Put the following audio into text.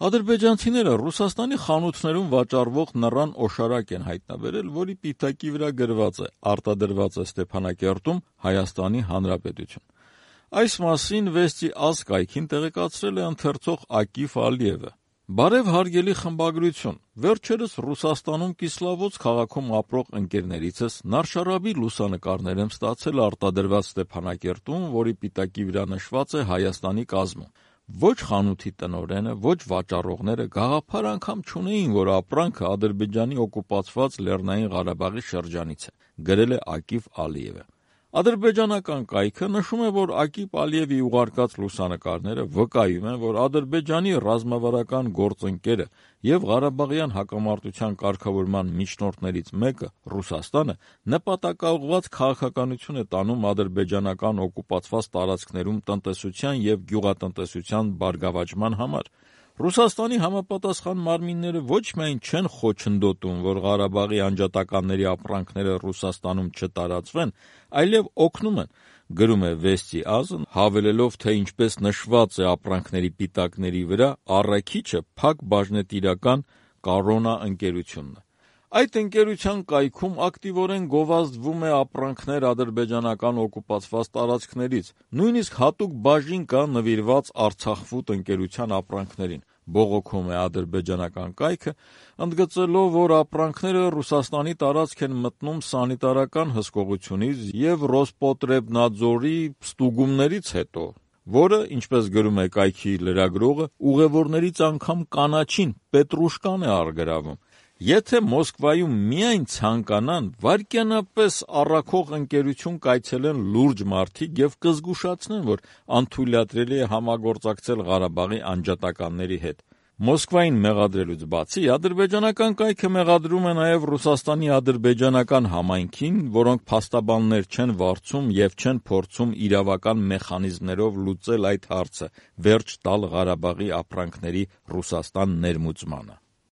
Ադրբեջանցիները Ռուսաստանի խանութներում վաճառվող նռան օշարակ են հայտնաբերել, որի պիտակի վրա գրված է «Արտադրված է Ստեփանակերտում, Հայաստանի Հանրապետություն»։ Այս մասին «Վեստի ազգ» կայքին տեղեկացրել է ընթերցող Ակիֆ Ալիևը։ Բարև հարգելի խմբագրություն, վերջերս Ռուսաստանում Կիսլավոց քաղաքում ապրող ընկերներիցս Նարշարաբի լուսանկարներ եմ ստացել արտադրված Ստեփանակերտում, որի պիտակի վրա նշված է Հայաստանի կազմում։ Ոչ խանութի տնօրենը, ոչ վաճառողները գաղափար անգամ չունեին, որ ապրանքը Ադրբեջանի օկուպացված Լեռնային Ղարաբաղի շրջանից է, գրել է Ակիֆ Ալիևը։ Ադրբեջանական կայքը նշում է, որ Ակիֆ Ալիևի ուղարկած լուսանկարները վկայում են, որ Ադրբեջանի ռազմավարական գործընկերը եւ Ղարաբաղյան հակամարտության կարգավորման միջնորդներից մեկը Ռուսաստանը նպատակաուղղված քաղաքականություն է տանում ադրբեջանական օկուպացված տարածքներում տնտեսության եւ գյուղատնտեսության բարգավաճման համար։ Ռուսաստանի համապատասխան մարմինները ոչ միայն չեն խոչընդոտում, որ Ղարաբաղի անջատականների ապրանքները Ռուսաստանում չտարածվեն, այլև օգնում են, գրում է Վեստի ազգ, հավելելով, թե ինչպես նշված է ապրանքների պիտակների վրա, առաքիչը փակ բաժնետիրական Կառոնա ընկերությունն է։ Այդ ընկերության կայքում ակտիվորեն գովազդվում է ապրանքներ ադրբեջանական օկուպացված տարածքներից, նույնիսկ հատուկ բաժին կա նվիրված Արցախֆուդ ընկերության ապրանքներին, բողոքում է ադրբեջանական կայքը, ընդգծելով, որ ապրանքները Ռուսաստանի տարածք են մտնում սանիտարական հսկողությունից եւ Ռոսպոտրեբնadzorի ստուգումներից հետո, որը, ինչպես գրում է կայքի լրագրողը, ուղևորներից անգամ կանաչին պետրուշկան է առգրավում։ Եթե Մոսկվայում միայն ցանկանան, վայրկյանապես առաքող ընկերություն կայցելեն լուրջ մարդիկ եւ կզգուշացնեն, որ անթույլատրելի է համագործակցել Ղարաբաղի անջատականների հետ։ Մոսկվային մեղադրելուց բացի, ադրբեջանական կայքը մեղադրում է նաեւ Ռուսաստանի ադրբեջանական համայնքին, որոնք փաստաբաններ չեն վարձում եւ չեն փորձում իրավական մեխանիզմներով լուծել այդ հարցը, վերջ տալ Ղարաբաղի ապրանքների Ռուսաստան ներմուծմանը։